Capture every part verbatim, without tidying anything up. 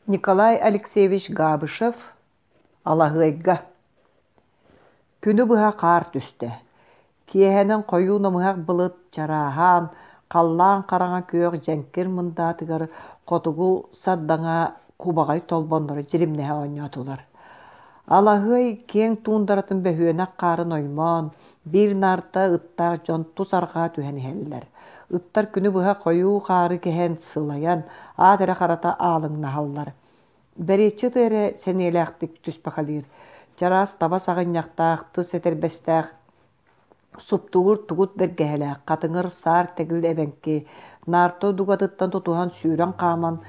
Николай Алексеевич Габышев Алаһыайга Күнү быһа хаар түстэ. Киэһэнэн хойуу намыһах былыт чарааһаан, халлаан хараҥа күөх дьэҥкир мындаатыгар хотугу сардаҥа кубаҕай толбонноро дьиримнэһэ оонньоотулар. Алаһыай киэҥ туундаратын бөһүөнэх хаарын оймоон, биир наарта ыттаах дьон тус арҕаа түһэн иһэллэр. Ыттар күнү быһа хойуу хаары кэһэн, сылайан, аат эрэ харата аалыҥнаһаллар. Бэриэччи ыты эрэ сэниэлээхтик түспэхэлиир. Чараас таба саҕынньахтаах, тыс этэрбэстээх, суптугур тугут бэргэһэлээх, хатыҥыр саар тэгил эбэҥки, наарта дугатыттан тутуһан сүүрэн хааман,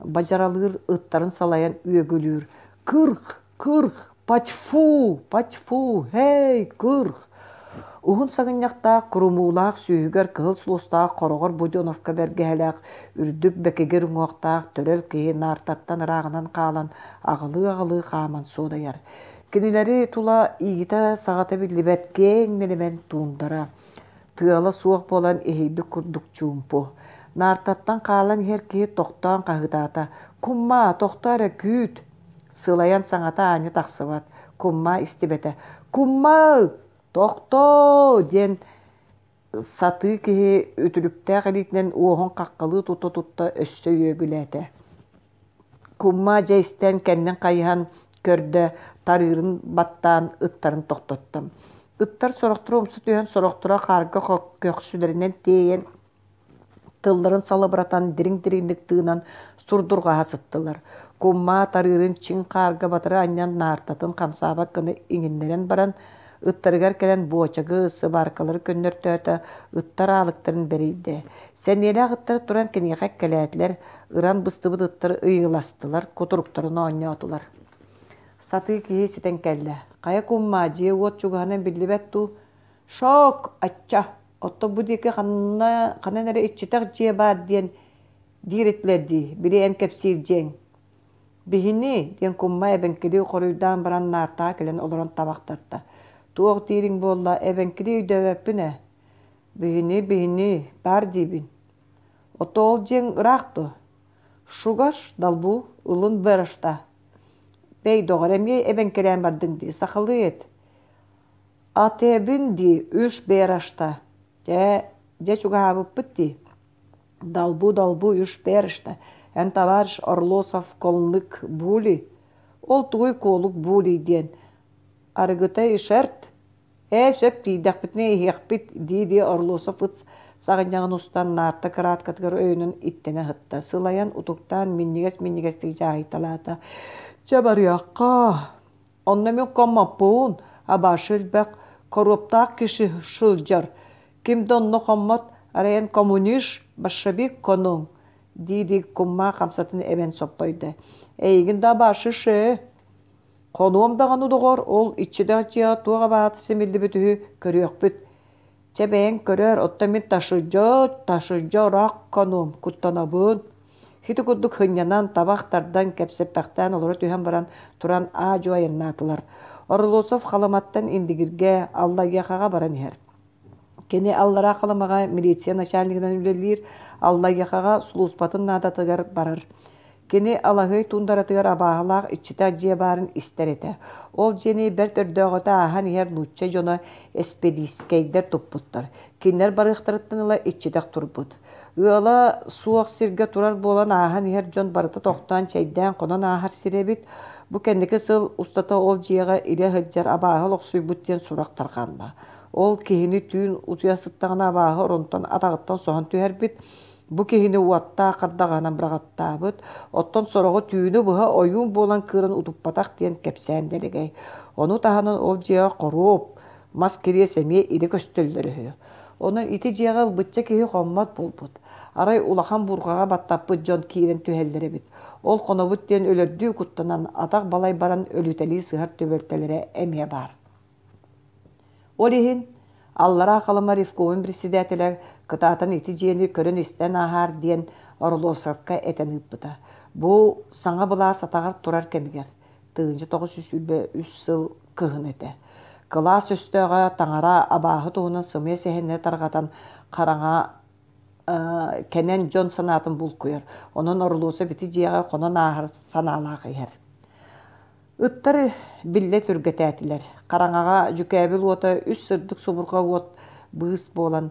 бадьаралыыр ыттарын салайан үөгүлүүр: «Кырх! Кырх! Патьфу! Патьфу! Һэй! Кырх!» Уһун саҕынньахтаах, курумуулаах, сүүһүгэр кыһыл сулустаах хороҕор Буденовка бэргэһэлээх, үрдүк бэкигир уҥуохтаах төрөл киһи наартаттан ырааҕынан хаалан, аҕылыы-аҕылыы хааман суодайар. Кинилэри тула иитэ-саҕата биллибэт киэҥ нэлэмэн туундара. Тыала суох буолан иһийбит курдук чуумпу. Наартаттан хаалан иһэр киһи тохтоон хаһыытаата: «Куммаа, тохтоо эрэ, күүт!» Сылайан саҥата аанньа тахсыбат. Куммаа истибэтэ: «Куммаа! Тохтоо!» диэн сатыы киһи үтүлүктээх илиитинэн уоһун хаххалыы тута-тутта өссө үөгүлээтэ. Куммаа дьэ истэн кэннин хайыһан көрдө, тарыырын баттаан ыттарын тохтотто. Ыттар сорохторо умса түһэн, сорохторо хаарга көхсүлэринэн тиэйэн тылларын салыбыратан дириҥ-дириҥник тыынан сурдурҕаһа сыттылар. Куммаа тарыырын чиҥ хаарга батары анньан наартатын хамсаабат гына иҥиннэрэн баран, ыттарыгар кэлэн буочагы, сыбааркалары көннөртөөтө, ыттар аалыктарын бэрийдэ. Сэниэлээх ыттар туран киниэхэ эккэлээтилэр, ыран быстыбыт ыттар ыйыластылар, кутуруктарын оонньоотулар. Сатыы киһи ситэн кэллэ. Хайа куммаа, дьиэ-уот чугаһынан биллибэт дуу? Шок! Ачча! Оттон бу диэки ханна, ханан эрэ иччитэх дьиэ баар диэн диир этилэр дии, били эн кэпсиир дьиэҥ. Биһини, диэн кумма эбэҥкилии хоруйдаан баран наартаҕа кэлэн олорон табах тарта. Туох диириҥ буолла, эбэҥкилии өйдөөбөппүн ээ. Биһини, биһини, баар диибин. Ото ол дьиэҥ ыраах дуо? Шугаш, далбу, ылын бырашта. Бэй, доҕор, эмиэ эбэҥкилээн бардыҥ дии, сахалыы эт. Атэбин дии, үш берашта. Дьэ, дьэ чугаһаабыппыт дии. Далбу-далбу үш берашта. Эн товарищ Орлосов колнык були. Ол тугуй куолук були диэн. Арыгыта ишерт. Ээ, сөп тиийдэхпитинэ иһиэхпит, дии-дии Орлосов ыт саҕынньаҕын устан наарта кырааткатыгар өйөнөн иттэнэ сытта. Сылайан, утуктаан, минньигэс-минньигэстик дьааһыйталаата. Чэ барыахха. Онно мин хоммоппун, абашы элбэх, хоруоптаах киши сылдьар. Ким да онно хоммот, арайан коммунист, большевик конуҥ, дии-дии куммаа хамсатын эбэн соппойдо. Эйигин да абашы ше. Хонуом даҕаны доҕор, ол иччитэх дьиэҕэ туох абаһата симиллибит үһү, көрүөхпүт. Чэ бэйэҥ көрөөр, оттон мин ташыдьа, ташыдьа ыраах хонуом, куттанабын. Ити курдук сынньанан, табах тардан, кэпсэппэхтээн олоро түһэн баран, туран аа-дьуо айаннаатылар. Орлосов Халыматтан Индигиргэ, Аллайыахаҕа баран иһэр. Кини Аллараа Халымаҕа милиция начальнигынан үлэлиир, Аллайыахаҕа сулууспатын наадатыгар барар. Кини Алаһыай туундаратыгар абааһылаах иччитэх дьиэ баарын истэр этэ. Ол дьиэни бэрт өрдөөҕүтэ ааһан иһэр нуучча дьоно эспэдиискэйдэр туппуттар. Кинилэр барыахтарыттан ыла иччитэх турбут. Ыала суох сиргэ турар буолан ааһан иһэр дьон барыта тохтоон чэйдээн хонон ааһар сирэ эбит. Бу кэнники сыл устата ол дьиэҕэ илэ сылдьар абааһы олохсуйбут диэн сурах тарҕанна. Ол киһини түүн утуйа сыттаҕына абааһы оронтон атаҕыттан соһон түһэрбит. Бу киһини уоттаах хардаҕаһынан быраҕаттаабыт, оттон сороҕу түүнү быһа ойуун буолан кыыран утуппатах диэн кэпсээн дэлэгэй. Ону таһынан ол дьиэҕэ хоруоп, мас кириэс эмиэ илэ көстөллөр үһү. Онон ити дьиэҕэ ылбычча киһи хоммот буолбут. Арай улахан буурҕаҕа баттаппыт дьон киирэн түһэллэр эбит. Ол хонобут диэн өлөрдүү куттанан, атах балай баран өлүтэлии сыһар түбэлтэлэрэ эмиэ баар. Ол иһин Аллараа Халыма ревкомун председателэ кытаатан ити дьиэни көрөн-истэн ааһаар диэн Орлосовка этэн ыыппыта. Бу саҥа былаас атаҕар турар кэмигэр, тыһыынча тоҕус сүүс сүүрбэ үс сыл кыһын этэ. Кылаас өстөөҕө таҥара абааһы туһунан сымыйа сэһэннэри тарҕатан хараҥа кэнэн дьон санаатын булкуйар. Онон Орлосов ити дьиэҕэ хонон ааһар санаалаах иһэр. Ыттар биллэ түргэтээтилэр. Хараҥаҕа дьүкээбил уота үс сырдык субурҕа уот быыс буолан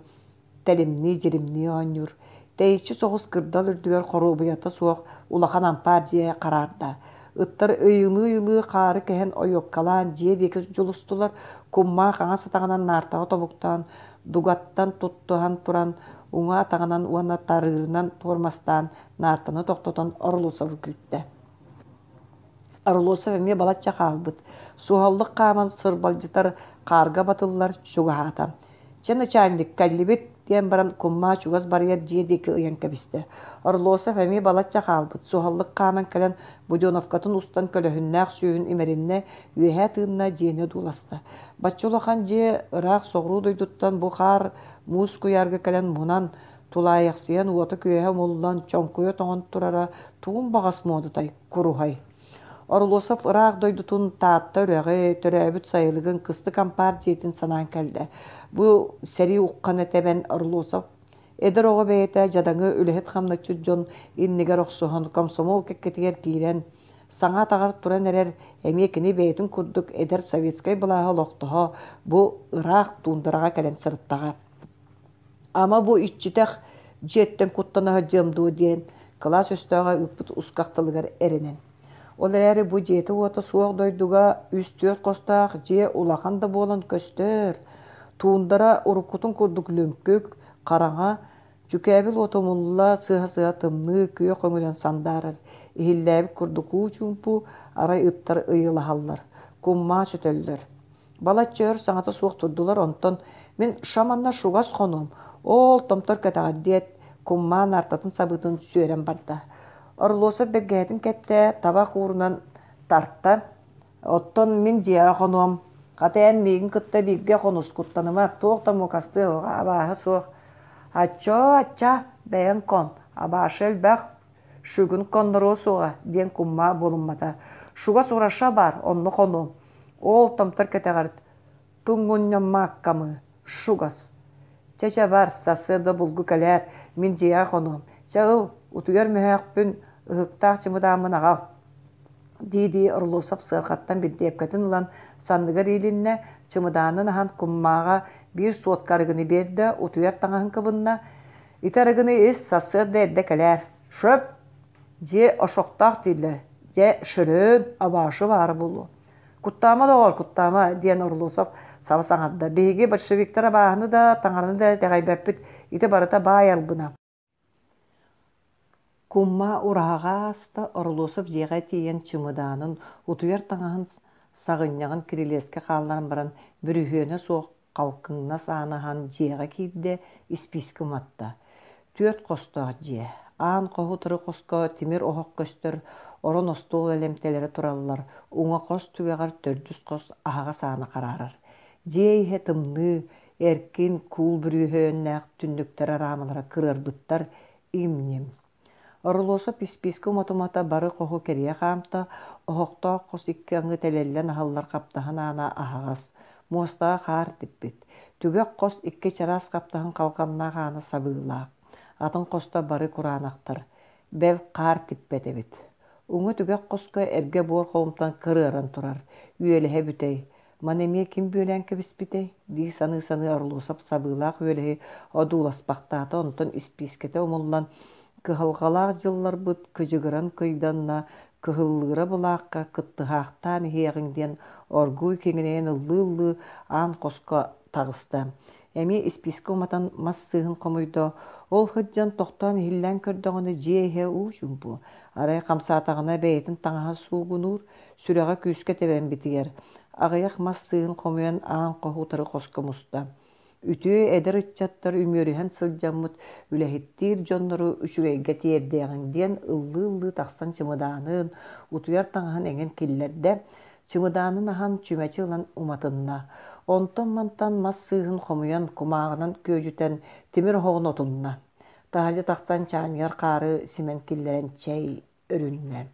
тэлимнии-дьиримнии оонньуур. Тэйиччи соҕус кырдал үрдүгэр хоруобуйата суох улахан ампаар дьиэ хараарда. Ыттар ыйылыы-ыйылыы хаары кэһэн ойуоккалаан дьиэ диэки дьулустулар. Куммаа хаҥас атаҕынан наартаҕа тобуктаан, дугаттан туттуһан туран, уҥа атаҕынан уонна тарыырынан туормастаан наартаны тохтотон Орлосовы күүттэ. Орлосов эмиэ балачча хаалбыт. Суһаллык хааман сырбалдьытар хаарга батыллар чугаһаата. «Чэ, начальник, кэллибит» диэн баран куммаа чугас барыйар дьиэ диэки ыйан кэбистэ. Орлосов эмиэ балачча хаалбыт. Суһаллык хааман кэлэн буденовкатын устан көлөһүннээх сүүһүн имэриннэ, үөһээ тыынна, дьиэни одууласта. Бачча улахан дьиэ ыраах соҕуруу дойдуттан бу хаар муус куйаарга кэлэн мунан, тулаайахсыйан уота-күөһэ умуллан, чоҥкуйа тоҥон турара тугун баҕас муодатай, куруһай. Орлосов ыраах дойдутун Таатта үрэҕи, төрөөбүт сайылыгын, кыстык ампаар дьиэтин санаан кэллэ. Бу сэрии уххана тэбэн Орлосов эдэр оҕо бэйэтэ дьадаҥы үлэһит-хамначчыт дьон иннигэр охсуһан, комсомол кэккэтигэр киирэн, саҥа атаҕар туран эрэр, эмиэ кини бэйэтин курдук эдэр советскай былааһы олохтоһо бу ыраах туундараҕа кэлэн сырыттаҕа. Ама бу иччитэх дьиэттэн куттана сылдьыам дуо диэн кылаас өстөөҕө ыыппыт усках тылыгар эрэнэн. Ол эрээри бу дьиэтэ-уота суох дойдуга үс-түөрт хостоох дьиэ улахан да буолан көстөр. Туундара уруккутун курдук лүҥкүк, хараҥа, дьүкээбил уота умулла сыһа-сыһа тымныы күөх өҥүнэн сандаарар. Иһиллээбит курдук уу чуумпу, арай ыттар ыйылаһаллар, куммаа сүтэллэр. Балачча өр саҥата суох турдулар, онтон мин шаманна шугас хонуом, ол томтор кэтэҕэр диэт, куммаа наартатын сабыытын сүөрэн барда. Орлосов бэргэһэтин кэттэ, табах уурунан тарта. Оттон мин дьиэҕэ хонуом. Хата эн миигин кытта бииргэ хонус, куттаныма, туох да муокастыа абааһы суох. Аччоо, ачча, бэйэҥ кон, абаашы элбэх, шүгүн конноруо суоҕа, диэн куммаа буолуммата. Шугас ураша бар, онно хонуом. Ол томтор кэтэҕэр туҥҥунньаммаккамы, шугас. Чэ-чэ бар, сарсыарда булгу кэлээр, мин дьиэҕэ хонуом. Чэ ыл, утуйар мөһөөхпүн, ыһыктаах чымыдааммын аҕал дии-дии Орлосов сыарҕаттан бинтиэпкэтин ылан санныгар иилиннэ, чымыдаанын аһан куммааҕа биир суотка арыгыны биэрдэ, утуйар таҥаһын кыбынна. Ити арыгыны ис, сарсыарда эрдэ кэлээр. Шөп! Дьиэ ошохтоох дииллэр. Дьэ, шөрөөн, абаашы баара буолуо. Куттаама доҕор, куттаама, диэн Орлосов саба саҥарда. Биһиги большевиктар абааһыны да, таҥараны да итэҕэйбэппит. Ити барыта баай албына. Кумма ураһаҕа ааста, Орлосов дьиэҕэ тиийэн чымыдаанын, утуйар таҥаһын саҕынньаҕын кирилиэскэ хаалларан баран, бүрүһүөнэ суох халкыҥнас ааны аһан дьиэҕэ киирдэ, испиискэ уматта. Түөрт хостоох дьиэ. Аан хоһу утары хоско тимир оһох көстөр, орон остуол элэмтэлэрэ тураллар, уҥа хос түгэҕэр төрдүс хос аһаҕас аана хараарар. Дьиэ иһэ тымныы, эркин, куул бүрүөһүннээх түннүктэр араамалара кырыарбыттар, им-ньим. Орлосов испиискэ умата-умата бары хоһу кэрийэ хаамта, оһохтоох хос икки аҥы тэлэллэн аһыллар хаптаһын аана аһаҕас, муостаҕа хаар типпит. Түгэх хос икки чараас хаптаһын халҕаннаах аана сабыылаах. Атын хосто бары кураанахтар, бэл хаар типпэт эбит. Уҥа түгэх хоско эргэ буор холумтан кырыаран турар, үөлэһэ бүтэй. Маны эмиэ ким бүөлээн кэбиспитэй дии саныы-саныы Орлосов сабыылаах үөлэһи одууласпахтаата, онтон испиискэтэ умуллан кыһалҕалаах дьылларбыт кыдьыгыран кыйданна, кыһыллыыра былаахха кыттыһаахтаан иһиэҕиҥ диэн оргууй киҥинэйэн ыллыы-ыллыы аан хоско таҕыста. Эмиэ испиискэ уматан мас сыыһын хомуйда, ол сылдьан тохтоон иһиллээн көрдөҕүнэ дьиэ иһэ уу чуумпу. Арай хамсаатаҕына бэйэтин таҥаһа суугунуур, сүрэҕэ күүскэ тэбэн битийэр. Аҕыйах мас сыыһын хомуйан аан хоһу утары хоско муста. Үтүө эдэр ыччаттар үмүөрүһэн сылдьаммыт үлэһиттиир дьоннору үчүгэйгэ тиэрдиэҕиҥ диэн ыллыы-ыллыы тахсан чымыдаанын, утуйар таҥаһын эҥин киллэрдэ, чымыдаанын аһан чүмэчи ылан уматынна. Онтон-мантан мас сыыһын хомуйан, кумааҕынан күөдьүтэн тимир оһоҕун отунна. Таһырдьа тахсан чаанньыгар хаары симэн киллэрэн чэй өрүннэ.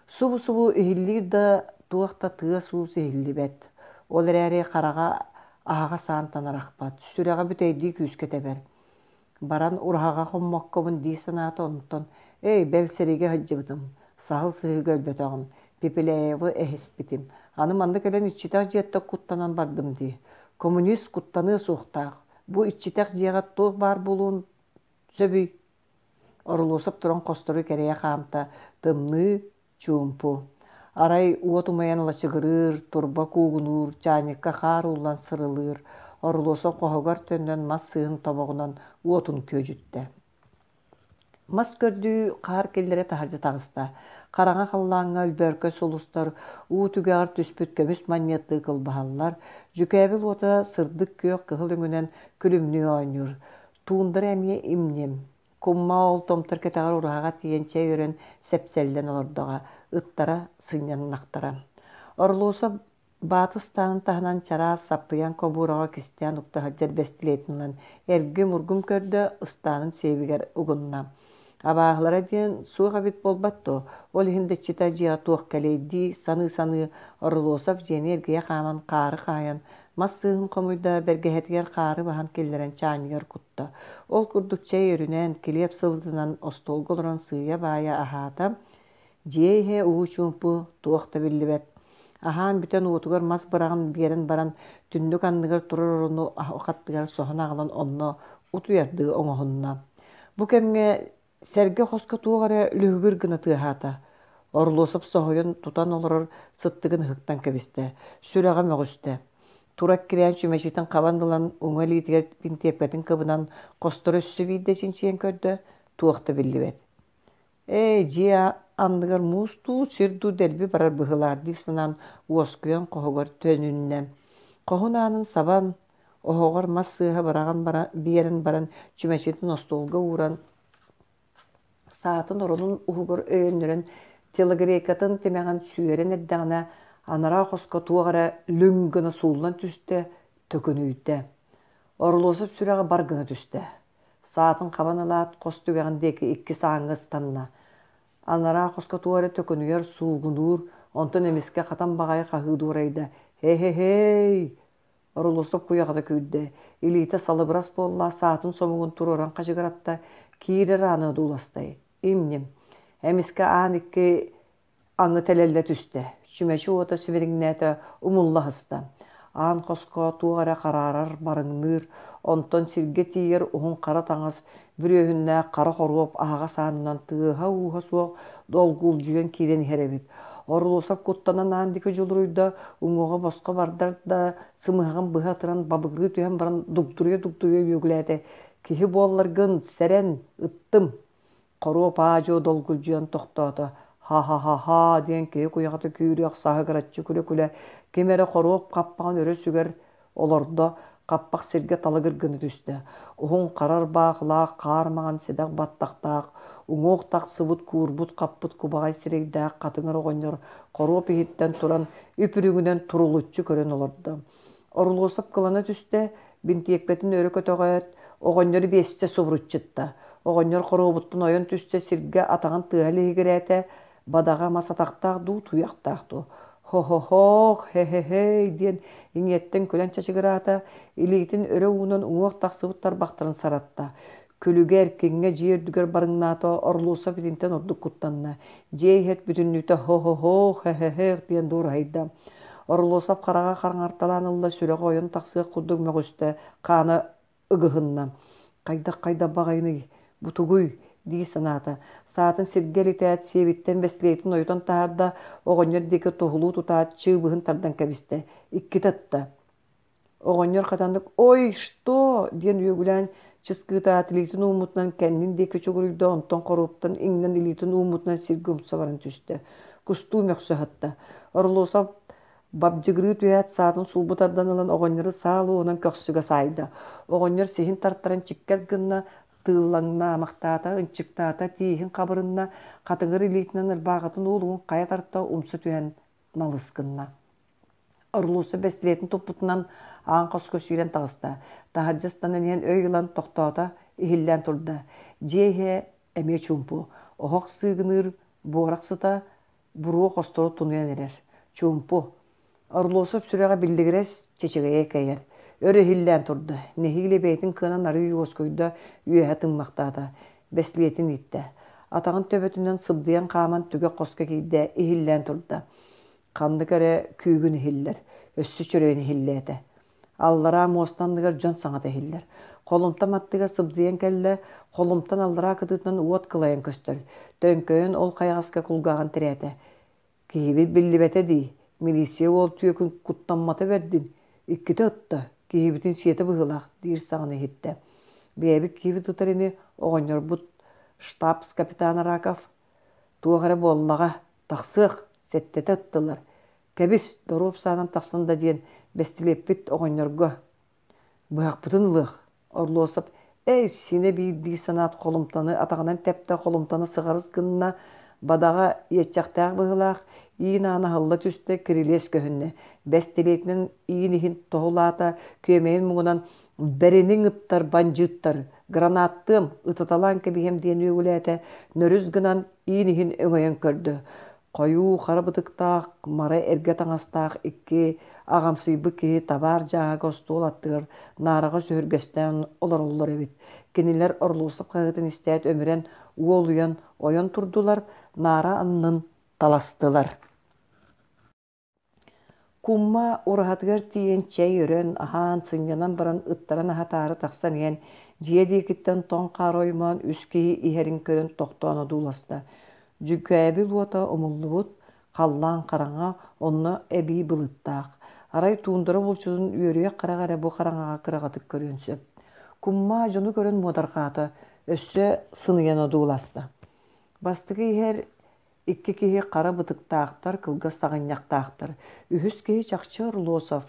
Субу-субу иһиллиир да туох да тыас-уус иһиллибэт. Ол эрээри хараҕа аһаҕас аантан арахпат, сүрэҕэ бүтэйдии күүскэ тэбэр. Баран ураһаҕа хоммоккобун дии санаата онтон, «Эй, бэл сэриигэ сылдьыбытым, саһыл сыһыыга өлбөтөҕүм, Пепеляевы эһиспитим. Аны манна кэлэн иччитэх дьиэттэн куттанан бардым дии. Коммунист куттаныа суохтаах. Бу иччитэх дьиэҕэ туох баар буолуон сөбүй?» Орулуосап туран хостору кэрийэ хаамта, тымныы, чуумпу. Арай уот умайан лачыгырыыр, турба куугунуур, чаанньыкка хаар ууллан сырылыыр. Орулуосап хоһугар төннөн мас сыыһын тобоҕунан уотун күөдьүттэ. Мас көрдүү хаар киллэрэ таһырдьа таҕыста. Хараҥа халлааҥҥа өлбөөркөй сулустар уу түгэҕэр түспүт көмүс манньыаттыы кылбаһаллар. Дьүкээбил уота сырдык күөх кыһыл өҥүнэн күлүмнүү оонньуур. Туундара эмиэ им-ньим. Кумма ол томтор кэтэҕэр ураһаҕа тиийэн чэй өрөн сэпсэллэн олордоҕо, ыттара сынньаннахтара. Орлосов баата ыстаанын таһынан чараас саппыйан кобуураҕа кистээн укта сылдьар бэстилиэтин ылан эргим-ургум көрдө, ыстаанын сиэбигэр угунна. Абааһылара диэн суох эбит буолбат дуо? Ол иһин да иччитэ дьиэҕэ туох кэлиэй дии саныы-саныы Орлосов дьиэни эргийэ хааман хаары хаайан, мас сыыһын хомуйда, бэргэһэтигэр хаары баһан киллэрэн чаанньыгар кутта. Ол курдук чэй өрүнэн, килиэп сылытынан остуолга олорон сыыйа-баайа аһаата. Дьиэ иһэ уу-чуумпу, туох да биллибэт. Аһаан бүтэн уотугар мас быраҕан биэрэн баран, түннүк анныгар турар орону аттыгар соһон аҕалан онно утуйардыы оҥоһунна. Бу кэмҥэ сэргэ хоско туох эрэ лүһүгүр гына тыаһаата. Орлосов соһуйан тутан олорор сыттыгын ыһыктан кэбистэ, сүрэҕэ мөҕүстэ. Тура эккирээн чүмэчитин хабан ылан уҥа илиитигэр бинтиэпкэтин кыбынан хостору өссө биирдэ чинчийэн көрдө, туох да биллибэт. Ээ, дьиэ анныгар муус дуу, сир дуу дэлби барар быһыылаах дии санаан уоскуйан хоһугар төнүннэ. Хоһун аанын сабан, оһоҕор мас сыыһа быраҕан бара, биэрэн баран чүмэчитин остуолга ууран, саатын оронун уһугар өйөннөрөн телогрейкатын тимэҕин сүөрэн эрдэҕинэ, анараа хоско туох эрэ лүҥ гына сууллан түстэ, төкүнүйдэ. Орлосов сүрэҕэ бар гына түстэ. Саатын хабан ылаат, хос түгэҕин диэки икки сааҥҥа ыстанна. Анараа хоско туох эрэ төкүнүйэр, суугунуур, онтон эмискэ хатан баҕайы хаһыы дуорайда: «Һэ-һэ-һэй!» Орлосов куйаҕата күүрдэ, илиитэ салыбырас буолла, саатын сомугун туруоран хачыгыратта, киирэр ааны одууластай. Им-ньим. Эмискэ аан икки аҥы тэлэллэ түстэ, чүмэчи уота симириҥнээтэ, умулла сыста. Аан хоско туох эрэ хараарар, барыҥныыр, онтон сиргэ тиийэр уһун хара таҥас, бүрүөһүннээх хара хоруоп аһаҕас аанынан тыаһа-ууһа суох долгулдьуйан киирэн иһэр эбит. Орлосов куттанан аан диэки дьулуруйда, уҥуоҕа босхо бардар да, сымыһаҕын быһа ытыран бабыгырыы түһэн баран дугдуруйа-дугдуруйа үөгүлээтэ: «Киһи буолларгын, сэрэн, ыттым!» Хоруоп аа-дьуо долгулдьуйан тохтоото: «Ха-ха-ха-ха» диэн киһи куйаҕата күүрүөх саһыгыраччы күлэ-күлэ ким эрэ хоруоп хаппаҕын өрө сүгэр олордо, хаппах сиргэ талыгыр гына түстэ. Уһун хара ырбаахылаах, хаар маҥан сэдэх баттахтаах, уҥуох тахсыбыт, куурбут-хаппыт кубаҕай сирэйдээх хатыҥыр оҕонньор хоруоп иһиттэн туран үп-үрүҥүнэн турулуччу көрөн олордо. Орлосов кылана түстэ, бинтиэпкэтин өрө көтөҕөөт, оҕонньору биэстэ субуруччутта. Оҕонньор хоруобуттан ойон түстэ, сиргэ атаҕын тыаһа лиһигирээтэ, бадаҕа мас атахтаах дуу, туйахтаах дуу. «Хо-хо-хоох, хе-хе-хей» диэн иҥиэттэн күлэн чачыгыраата, илиитин өрө уунан уҥуох тахсыбыт тарбахтарын саратта. Күлүгэ эркиҥҥэ дьиэ үрдүгэр барыҥнаата, Орлосов итинтэн ордук куттанна. Дьиэ иһэ бүтүннүүтэ «хо-хо-хоох, хе-хе-хех» диэн дуораһыйда. Орлосов хараҕа хараҥарталаан ылла, сүрэҕэ ойон тахсыах курдук мөҕүстэ, хаана ыгыһынна. Хайдах-хайдах баҕайыный, бу тугуй дии санаата. Саатын сиргэ элитээт, сиэбиттэн бэстилиэтин ойутан таһаарда, оҕонньор диэки туһулуу тутаат, чыыбыһын тардан кэбистэ. Иккитэ ытта. Оҕонньор хатаннык «Ой, что?» диэн үөгүлээн чыскыытаат, илиитин ууммутунан кэннин диэки чугуруйда, онтон хоруоптан иҥнэн илиитин ууммутунан сиргэ умса баран түстэ. Кустуу мөхсө сытта. Орлосов бабдьыгырыы түһээт, саатын сулбу тардан ылан оҕонньору саа луоһунан көхсүгэ саайда. Оҕонньор сиһин тартаран чиккэс гынна, тыыллаҥнаамахтаата, ынчыктаата, тииһин хабырынна, хатыҥыр илиитинэн ырбааҕытын уолугун хайа тарта умса түһэн налыс гынна. Орлуса бэстилиэтин туппутунан аан хоско сүүрэн таҕыста. Таһырдьа ыстанан иһэн өй ылан тохтоото, иһиллээн турда. Дьиэ иһэ эмиэ чуумпу. Оһох сыыгыныыр буорах сыта буруо хостору тунуйан эрэр. Чуумпу. Орлосов сүрэҕэ биллигирэс, чэчэгэйэ кэйэр. Өр иһиллээн турда. Нэһиилэ бэйэтин кыанан арыый уоскуйда, үөһэ тыммахтаата. Бэстилиэтин ииттэ. Атаҕын төбөтүнэн сыбдыйан хааман түгэх хоско киирдэ, иһиллээн турда. Ханнык эрэ күүгүн иһиллэр, өссө чөрөйөн иһиллээтэ. Аллараа муоста анныгар дьон саҥата иһиллэр. Холумтан аттыгар сыбдыйан кэллэ, холумтан аллараа кытыытынан уот кылайан көстөр. Төҥкөйөн ол хайаҕаска кулгааҕын тирээтэ. Киһибит биллибэтэ дии, милиция уол түөкүн куттаммата бэрдин, иккитэ ытта, киһибитин сиэтэ быһыылаах диир саҥаны иһиттэ. Бэйэбит киһибит ытар ини, оҕонньорбут штабс-капитан Раков. Туох эрэ буоллаҕа, тахсыах, сэттэтэ ыттылар. Кэбис, доруоп саанан тахсан да диэн, бэстилиэппит оҕонньорго. Быһахпытын ылыах. Орлосов эй, синэ биир дии санаат холумтаны атаҕынан тэптэ, холумтаны сыҕарыс гынна, бадаҕа иэччэхтээх быһыылаах, иин аана аһылла түстэ, кирилиэс көһүннэ. Бэстилиэтинэн иин иһин тоһулаата, күөмэйин муҥунан бэриниҥ ыттар, бандьыыттар, гранаттыам, ытаталаан кэбиһиэм диэн үөгүлээтэ, нөрүс гынан иин иһин өҥөйөн көрдө. Хойуу хара бытыктаах, мара эргэ таҥастаах икки аҕамсыйбыт киһи табаар дьааһыга остуол аттыгар наараҕа сүһүргэстээн олороллор эбит. Кинилэр Орлосов хаһыытын истээт өмүрэн, уолуйан ойон турдулар, наара аннын таластылар. Кумма ураһатыгар тиийэн чэй өрөн, аһаан, сынньанан баран ыттарын аһатаары тахсан иһэн, дьиэ диэкиттэн тоҥ хаар оймоон үс киһи иһэрин көрөн тохтоон одууласта. Дьүкээбил уота умуллубут, халлаан хараҥа, онно эбии былыттаах. Арай туундара булчутун үөрүйэх хараҕа эрэ бу хараҥаҕа кыраҕатык көрүөн сөп. Кумма дьону көрөн муодарҕаата, өссө сыныйан одууласта. Бастакы иһэр икки киһи хара бытыктаахтар, кылгас саҕынньахтаахтар. Үһүс киһи чахчы Орлосов.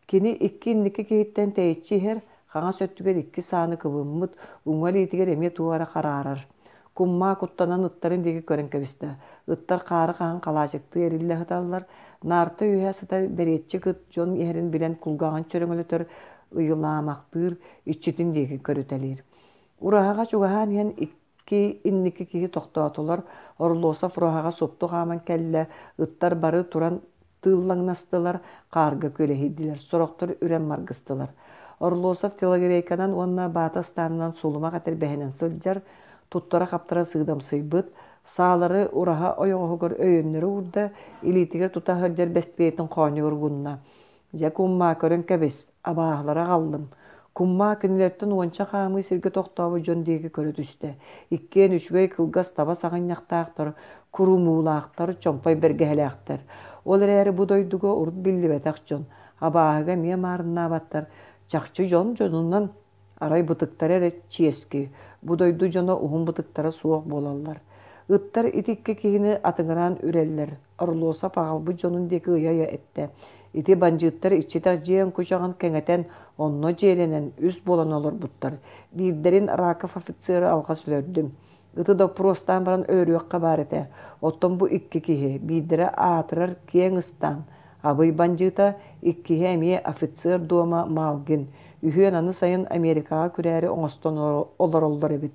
Кини икки инники киһиттэн тэйиччи иһэр, хаҥас өттүгэр икки сааны кыбыммыт, уҥа илиитигэр эмиэ туох эрэ хараарар. Кумма куттанан ыттарын диэки көрөн кэбистэ. Ыттар хаары хаһан халаачыктыы эриллэ сыталлар. Наарта үөһэ сытар бэриэтчик ыт дьон иһэрин билэн кулгааҕын чөрөҥөлөтөр, ыйылаамахтыыр, иччитин диэки көрүтэлиир. Ураһаҕа чугаһаан иһэн икки инники киһи тохтоотулар. Орлосов ураһаҕа супту хааман кэллэ. Ыттар бары туран тыыллаҥнастылар, хаарга күөлэһийдилэр, сорохтор үрэн маргыстылар. Орлосов телогрейканан уонна баата ыстаанынан сулумах этэрбэһинэн сылдьар, туттара-хаптара сыыдамсыйбыт, саалары ураһа ойоҕоһугар өйөннөрү уурда, илиитигэр тута сылдьар бэстилиэтин хоонньугар угунна. Дьэ куммаа көрөн кэбис, абааһылары аҕаллым. Куммаа кинилэртэн уонча хаамыы сиргэ тохтообут дьон диэки көрө түстэ. Иккиэн үчүгэй кылгас таба саҕынньахтаахтар, курумуулаахтар, чомпой бэргэһэлээхтэр. Ол эрээри бу дойдуга урут биллибэтэх дьон, абааһыга эмиэ маарыннаабаттар, чахчы дьон дьонунан арай бытыктара эрэ чиэски, бу дойду дьоно уһун бытыктара суох буолаллар. Ыттар ити икки киһини атыҥыраан үрэллэр. Орлосов аҕалбыт дьонун диэки ыйа-ыйа эттэ. Ити бандьыыттар иччитэх дьиэ оҥкучаҕын кэҥэтэн, онно дьиэлэнэн үс буолан олорбуттар. Биирдэрин Раков офицеры алҕас өлөрдүм. Ыты доппуруостаан баран өлөрүөххэ баар этэ. Оттон бу икки киһи, биирдэрэ аатырар киэҥ ыстаан, Абый бандьыыта, иккиһэ эмиэ офицер дуома Малгин. Үһүөн аны сайын Америкаҕа күрээри оҥостон олороллор эбит.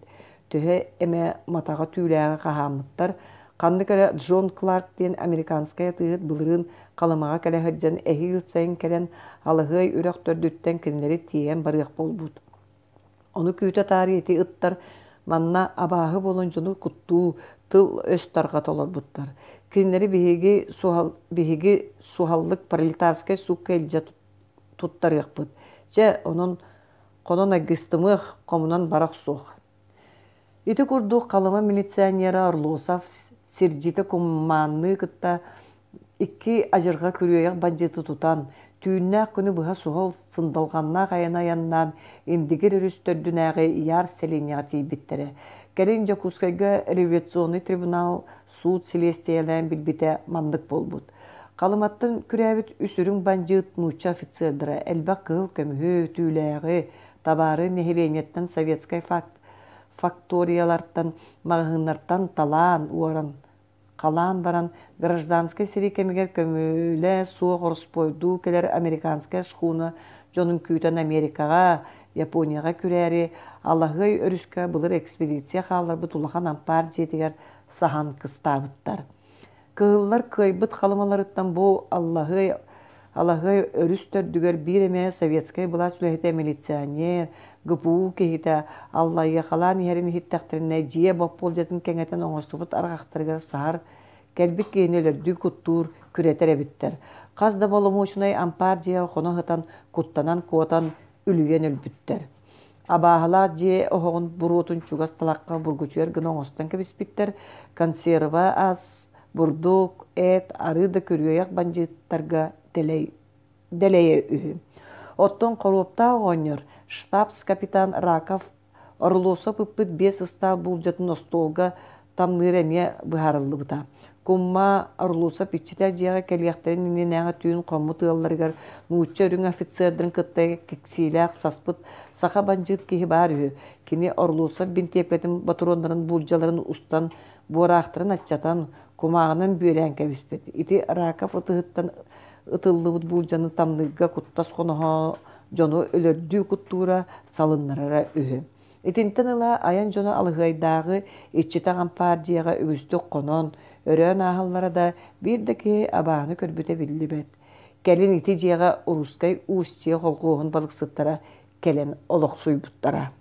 Төһө эмэ матаҕа түүлээҕи хаһааммыттар. Ханнык эрэ Джон Кларк диэн американскай атыыһыт былырыын Халымаҕа кэлэ сылдьан эһиил сайын кэлэн Алаһыай үрэх төрдүттэн кинилэри тиэйэн барыах буолбут. Ону күүтэ таарыйа ити ыттар манна абааһы буолан дьону куттуу, тыл-өс тарҕата олорбуттар. Кинилэри биһиги суһал, биһиги суһаллык пролетарскай суукка илдьэ туттарыахпыт. Чэ, онон хонон айгыстымыах, хомунан бара охсуох. Ити курдук Халыма милиционера Орлосов сирдьитэ куммаанныы кытта икки адьырҕа күрүөйэх бандьыыты тутан, түүннээх күнү быһа суһал сындалҕаннаах айаны айаннаан Индигир өрүс төрдүнээҕи Яр сэлиэнньэҕэ тиийбиттэрэ. Кэлин Дьокуускайга революционнай трибунал суут силиэстийэлээн билбитэ маннык буолбут. Халыматтан күрээбит үс үрүҥ бандьыыт нуучча офицердара элбэх кыһыл көмүһү, түүлээҕи, табаары нэһилиэнньэттэн советскай факт факториялартан, маҕаһыыннартан талаан уоран, халаан баран гражданскай сэрии кэмигэр көҥүлэ суох ороспуойдуу кэлэр американскай шхуна дьонун күүтэн Америкаҕа, Японияҕа күрээри Алаһыай өрүскэ былыр экспедиция хаалларбыт улахан ампаар дьиэтигэр саһан кыстаабыттар. Кыһыллар кыайбыт халымаларыттан бу Аллаһыай Алаһыай өрүс төрдүгэр биир эмэ советскай былаас үлэһитэ милиционер, ГПУ киһитэ аллайыахалаан иһэрин иһиттэхтэринэ дьиэ боппуолдьатын кэҥэтэн оҥостубут арҕахтарыгар саһар, кэлбит киһини өлөрдүү куттуур, күрэтэр эбиттэр. Хас да боломуочунай ампаар дьиэҕэ хоно сытан, куттанан куотан, үлүйэн өлбүттэр. Абааһылаах дьиэ оһоҕун буруотун чугас талахха бургучуйар гына оҥостон кэбиспиттэр. Консерва ас, бурдук, эт, арыы да күрүөйэх бандьыыттарга дэлэй, дэлэйэ үһү. Оттон хоруоптаах оҕонньор штабс-капитан Раков Орлосов ыппыт биэс ыстаал буулдьатын остуолга тамныыр эмиэ быһаарыллыбыта. Кумма Орлосов иччитэх дьиэҕэ кэлиэхтэрин иннинээҕи түүн хоммут ыалларыгар нуучча үрүҥ офицердарын кытта киксиилээх саспыт саха бандьыыт киһи баар үһү. Кини Орлосов бинтиэпкэтин ботуруоннарын буулдьаларын устан, буораахтарын аччатан, кумааҕынан бүөлээн кэбиспит. Ити Раков ытыһыттан ытыллыбыт буулдьаны тамныырга куттас хоноһо дьону өлөрдүү куттуура, салыннарара үһү. Итинтэн ыла айан дьоно Алыһыайдааҕы иччитэх ампаар дьиэҕэ үгүстүк хонон, өрөөн ааһаллара да, биир да киһи абааһыны көрбүтэ биллибэт. Кэлин ити дьиэҕэ Русскай Устье холхуоһун балыксыттара кэлэн олохсуйбуттара.